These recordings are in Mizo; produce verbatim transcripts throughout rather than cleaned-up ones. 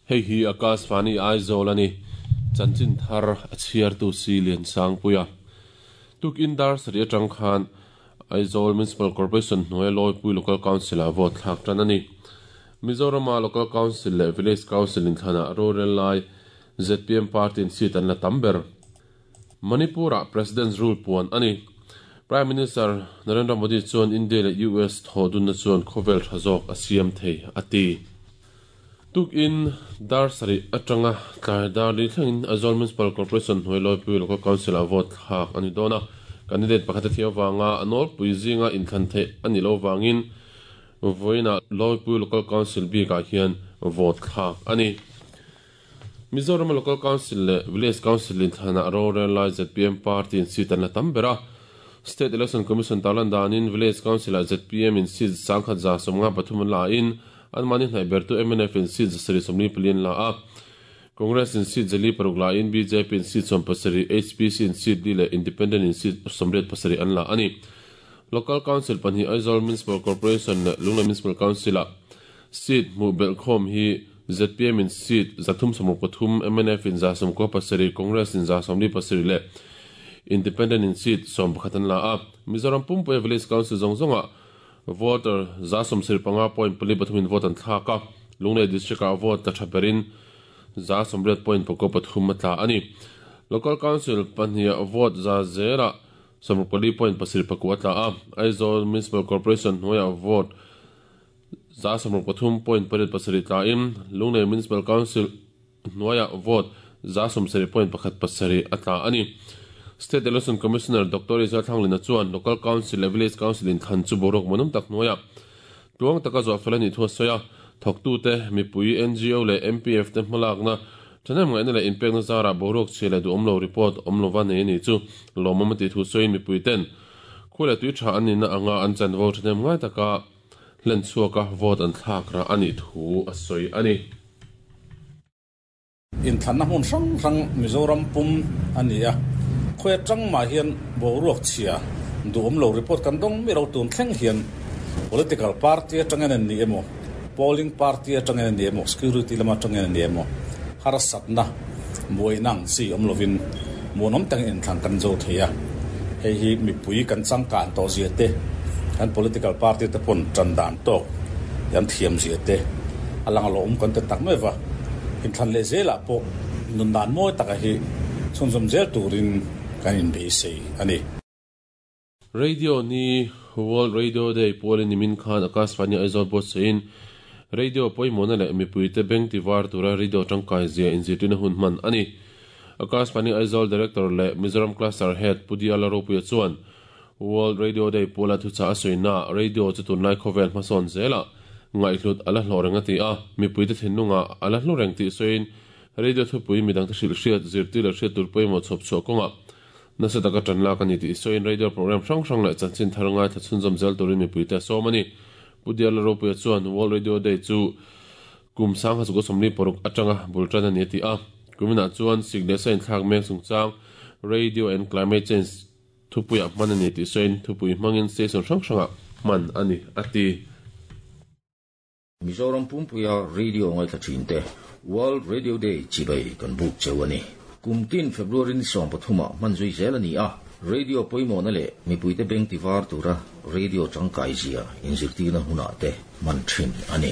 Hei hi Akashvani Aizawl ani chanchin thar a chhiar tu si lian sang puia tukin dar sari atang khan Aizawl Municipal Corporation hnuai Lawipui Local Council a vote thlak tan ani Mizoram Local Council leh Village Council in thlana rural lai Z P M party in seat an la tamber Manipura President's rule puan ani Prime Minister Narendra Modi chuan India leh U S thodun na chuan khovel thazok a siam thei ati tukin dar sari atanga tlai dar li thlengin Aizawl Municipal Corporation hnuai Lawipui Local Council a vote thlak ani dona candidate pakhat a thia wanga anol puizinga inthlan thei ani lo wangin voina Lawipui Local Council bi ka hian vote thlak ani Mizoram Local Council le Village Council in thlana rural lai Z P M party in seat an la tambera State Election Commission talan danin Village Council a Z P M in seat sangkhat za somnga pathum la in an mani hnai bertu M N F in seat sari somni pilin la a Congress in seat jali paruk la in B J P in seat som pasari H P C in seat li le Independent in seat somret pasari an la ani Local Council panhi Aizawl Municipal Corporation le Lunglei Municipal Council a seat mu belkhom hi Z P M in seat zathum somruk pathum M N F in za somko pasari Congress in za somli pasari le Independent in seat som pakhatan la a Mizoram Pumpui Village Council zong zonga voter za som sir panga point pali pathum in vote an thlaka Lunglei District a vote ta thaperin za somret point pako pathum atla ani Local Council pahnia vote za zera somruk pali point pasir paku atla a Aizawl Municipal Corporation hnuaia vote za somruk pathum point pariat pasarih tla in Lunglei Municipal Council hnuaia vote za somsarih point pakhat pasarih atla ani State Election Commissioner Doctor Israel Thanglina chuan Local Council le Village Council in thlan chu borok manum tak hnuaia tuang taka zawh fel ani thu soya thawktu te mipui N G O le M P F te hmalakna thanem ngaihna leh inpekna zara borok chhe le duhawm lo report awm lova nei ani chu lawmawm ati thu sawiin mipui ten khule tui tha ani na anga an chanvo thanem ngai taka hlen chhuaka vote an thlak ra ani thu a sawi ani in thlanna hmun hrang hrang Mizoram pum ani a khoe tang ma hian boruak chhia duhawm lo report kan dong mi ro tun thleng hian political party atangin an ni emo polling party atangin an ni emo security lama atangin an ni emo harsatna muinang si awm lovin muanom tang in thlan kan zo theia hei hi mipui kan changkan to zia te kan political party te pon tan dan tok yan thiam zia te alang lo um kan te tak mai wa in thlan le zela po nun dan moi taka hi chhunzawm zel turin kan in beisei ani Radio ni World Radio Day polin nimin khan Akashvani Aizawl bot sein radio poimona le mipui te beng tiwar tura radio tangkai zia inzirtina hun man ani Akashvani Aizawl Director le Mizoram Cluster Head Pudia Laropuia chuan World Radio Day pola thu cha asoina radio chu tunlai khovel hmasawn zela ngaihlut ala hlawreng ati a mipui te thinlunga ala hlawreng ti soin radio thupui midang te hril hriat zirtir le hriat tur pawimawh chhawp chhuah kawnga nasa taka tan lak ani ti soin radio program hrang hrang leh chanchin thar ngai tha chhunzawm zel turin mipui te sawm ani Pudia Laropuia chuan World Radio Day chu kum sang hazuko somli paruk atanga bultan ani ti a kumina chuan signe sain thlak mek chungchang radio and climate change thupuia hman ani ti soin thupui hmangin station hrang hranga hman ani ati Mizoram Pumpuia Radio ngai tha thin te World Radio Day chibai kan buk chewani kumtin February ni som pathuma manzui zel ani a radio poimo na le mipuite beng tiwar tura radio tangkai zia inzirtina huna te man thin ani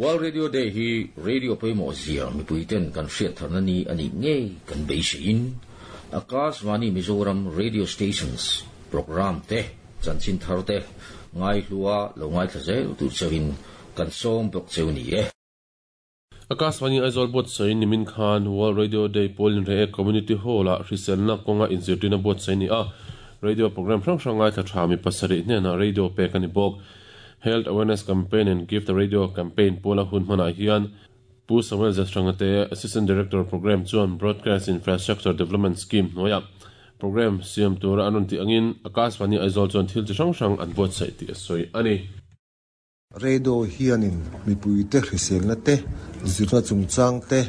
World Radio Day hi radio poimo zia mipuiten kan hriat tharna ni ani nge kan beisein Akashvani Mizoram radio stations program te chanchin thar te ngai hlua lo ngai thazel tu chewin kan som bok chewni e Akashvani Aizawl bot sain nimin khan World Radio Day polin re community hall a hriselna kawnga inzirtina bot saini a radio program hrang hrang ngai thla tha mi pasarih hnena radio pek ani bawk Health Awareness Campaign and Give the Radio Campaign pola hun hmanah hian Pu Samuel Zastrangate Assistant Director Program chuan Broadcast Infrastructure Development Scheme hnuaia program siam tura an rawn tih angin Akashvani Aizawl chuan thil chi hrang hrang an buatsaih tih a sawi ani Radio hianin mipuite hriselna te zirna chungchang te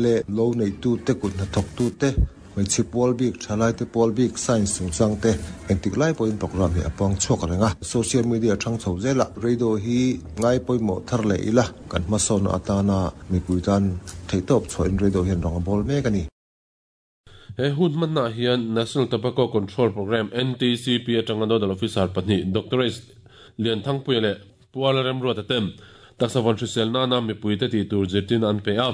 le lo nei tu te kut hnathawk tu te Hmeichhe pawl bik thalai te pawl bik science chungchang te engtik lai pawhin program hi a pawng chhuak renga social media thang chho zela radio hi ngai pawimawh thar leh ila kan hmasawn atana mipui tan theihtawp chhuahin radio hian rawng a bawl mek ani. He hun hmanna hian National Tobacco Control Program N T C P atanga nodal officer pahnih Doctor S Lianthangpuia leh Puala Remruata ten taksavan hrisel nana mipui te tih tur zirtin an pe a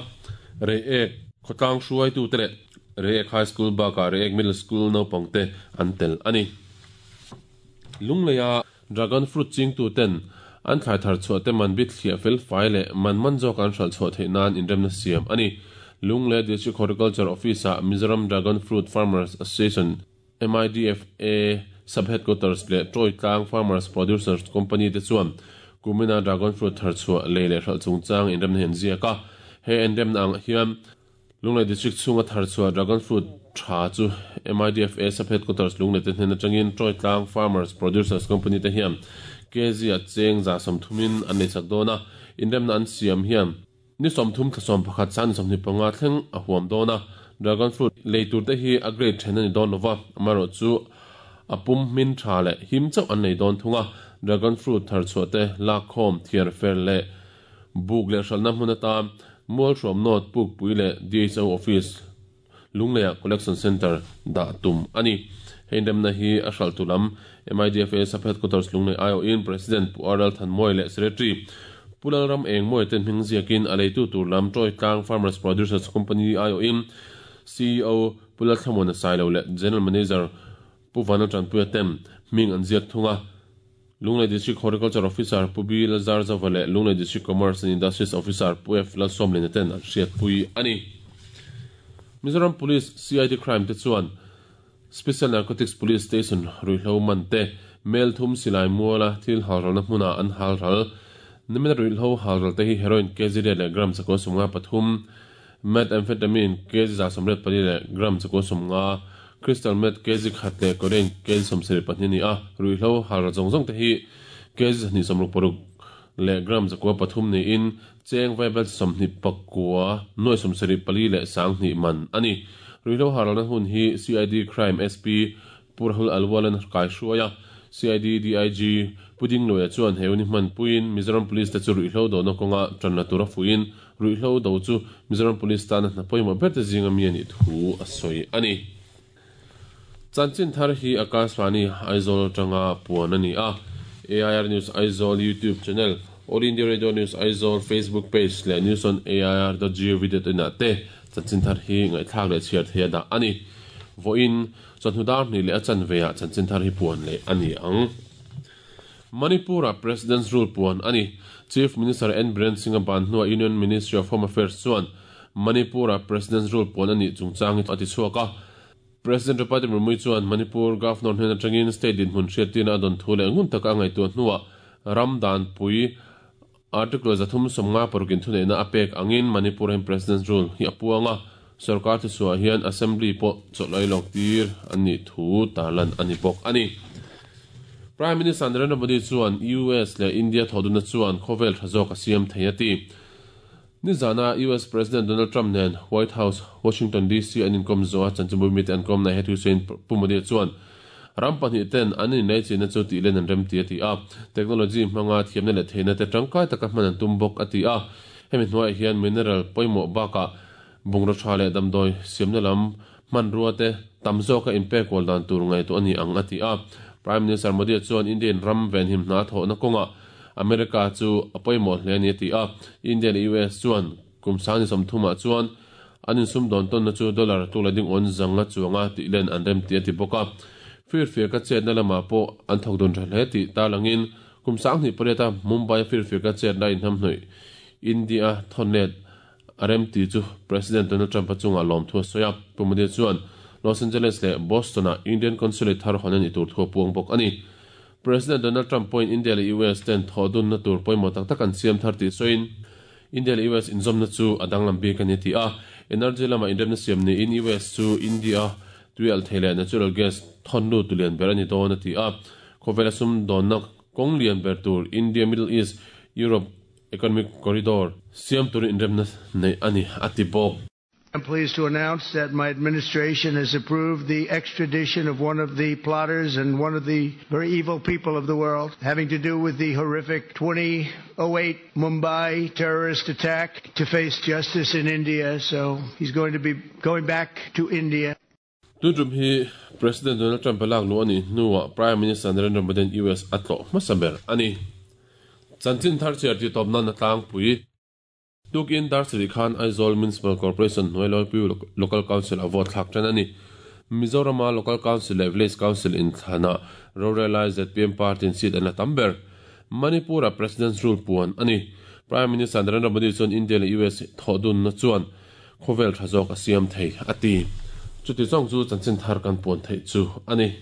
rei ek khawtlang hruai tu te leh Reiek High School baka Reiek Middle School naupang te an tel ani. Lungleia dragon fruit ching tu ten an thlai thar chhuah te man bit thliah fel fai leh man man zawk an hral chhuah theih nan inremna siam ani. Lunglei District Horticulture Office ah Mizoram Dragon Fruit Farmers Association M I D F A Sub Headquarters leh Troy Tlang Farmers Producers Company te chuan kumina dragon fruit thar chhuah lei leh hral chungchang inremna hian ziak a. He inremna ang hian Lunglei District chunga thar chhuah dragon fruit tha chu M I D F A Sub Headquarters Lunglei te hnen atangin Troy Tlang Farmers Producers Company te hian K G a cheng za sawmthumin an nei chak dawn a. Inremna an siam hian ni sawmthum thla sawm pakhat san sawmhnih panga thleng a huam dawn a. Dragon fruit lei tur te hi a grade then ani dawn lova amarawh chu a pum hmin tha leh him chauh an nei dawn thunga. Dragon fruit thar chhuah te lak khawm thiar fer leh buk leh hralna hmun atan mual hruam nawt puk pui leh D H O office Lungleia collection center dah tum ani. Hei inremna hi a hral tu lam M I D F A Sub Headquarters Lunglei I O in President Pu R L Thanmawia leh Secretary Pu Lalram Engmawia ten hming ziakin a leitu tur lam Troy Tlang Farmers Producers Company I O in C E O Pu Lalthlamuana Sailo leh General Manager Pu Vanal Tanpuia ten hming an ziak thunga. Lunglei District Horticulture Officer Pu B Lazar Zova leh Lunglei District Commerce and Industries Officer Pu F Lalsawmliana ten an hriat pui ani. Mizoram Police C I D Crime te chuan Special Narcotics Police Station ruihhlo man te mel thum silai muala thil halralna hmuna an halral nimina ruihhlo halral te hi heroin kg leh gram chakua sawmnga pathum methamphetamine kg za sawmriat pali leh gram chakua sawmnga crystal meth kg khat leh codeine kg sawmsarih pahnih ani a. Ruihhlo halral zawng zawng te hi kg zahnih sawmruk paruk leh gram chakua pathum niin cheng vaibel sawmhnih pakua nuai sawmsarih pali leh sanghnih man ani. Ruihhlo halralna hun hi C I D Crime S P Purhul Alwalan kai hruaia C I D D I G Puding Loya chuan he uni hman puin Mizoram Police te chu ruihhlo dona kawnga tanna tura fuin ruihhlo do chu Mizoram Police tana hna pawimawh ber te zinga mi ani thu a sawi ani. Chanchin thar hi Akashvani Aizawl tanga puan ani a. A I R News Aizawl YouTube channel, All India Radio News Aizawl Facebook page leh news on A I R dot gov dot in ah te chanchin thar hi ngaihthlak leh chhiar theih a dah ani. Vawiin chawhnu dar hnih leh a chanve ah chanchin thar hi puan leh ani ang. Manipura President's Rule puan ani. Chief Minister N Biren Singh ban hnuah Union Ministry of Home Affairs chuan Manipura President's Rule puan ani chungchang hi a ti chhuak a. President Draupadi Murmu chuan Manipur Governor hnen atangin state dinhmun hriattirna a dawn thu leh ngun taka a ngaihtuah hnuah ram dan pui article zathum sawmnga parukin thuneihna a pek angin Manipur hian President's Rule hi a puanga sarkar thu chhuah hian assembly pawh chawlh lawk tir ani thu tarlan ani bawk ani. Prime Minister Narendra Modi chuan U S leh India thoduna chuan khawvel tha zawk a siam thei a ti. Nizana U S President Donald Trump nen White House Washington D C an inkom zo a chanchinbu mi te an kom na he thu sawiin Pu Modi chuan ram pahnih ten an innei china chu tih len an rem ti a ti a. Technology hmanga thiamna leh theihna te tangkai taka hman an tum bawk a ti a. Hemi hnuaiah hian mineral pawimawh bakah bungraw tha leh damdawi siamna lam hman rua te tam zawka inpek kual dan tur ngaihtuah ani ang a ti a. Prime Minister Modi chuan Indian ram venhim hna thawhna kawngah America chu a pawimawh hle ani a ti a. India leh U S chuan kum sangni sawmthumah chuan an insum dawn tawnna chu dollar tuk leh ding awn zanga chuanga tih len an rem ti a ti bawk a. Firfir ka chetna lamah pawh an thawk dun tha hle tih tarlangin kum sanghnih pariata Mumbai firfir ka chetna inhnamhnawih India thawnet a rem ti chu President Donald Trump a chungah lawm thu a sawi a. Pu Modi chuan Los Angeles leh Boston ah Indian Consulate thar hawn ani tur thu a puang bawk ani. President Donald Trump pawhin India leh U S ten thawh dunna tur pawimawh tak tak an siam thar tih sawiin India leh U S inzawmna chu a danglam bik ani ti a. Energy lamah inremna siam niin U S chu India tuial thei leh natural gas thawn lut tulian ber ani dawn a ti a. Khawvel a sum dawnna kawng lian ber tur India Middle East Europe Economic Corridor siam turin inremna nei ani a ti bawk. I'm pleased to announce that my administration has approved the extradition of one of the plotters and one of the very evil people of the world, having to do with the horrific twenty oh eight Mumbai terrorist attack, to face justice in India. So he's going to be going back to India. Tun hi President Donald Trump lak lu ani nuwa Prime Minister Narendra Modi U S atlo masaber ani chanchin thar chiar ti topna na tlang pui tukin dar sri khan Aizawl Municipal Corporation hnuai pu Local Council a vote thlak tan ani Mizoram Local Council le Village Council in thana Rorelai Z P M Party in seat an tamber Manipur President's rule puan ani Prime Minister Narendra Modi chuan India le U S thodun na chuan khovel thazok asiam thei ati chuti chong chu chanchin thar kan puan thei chu ani.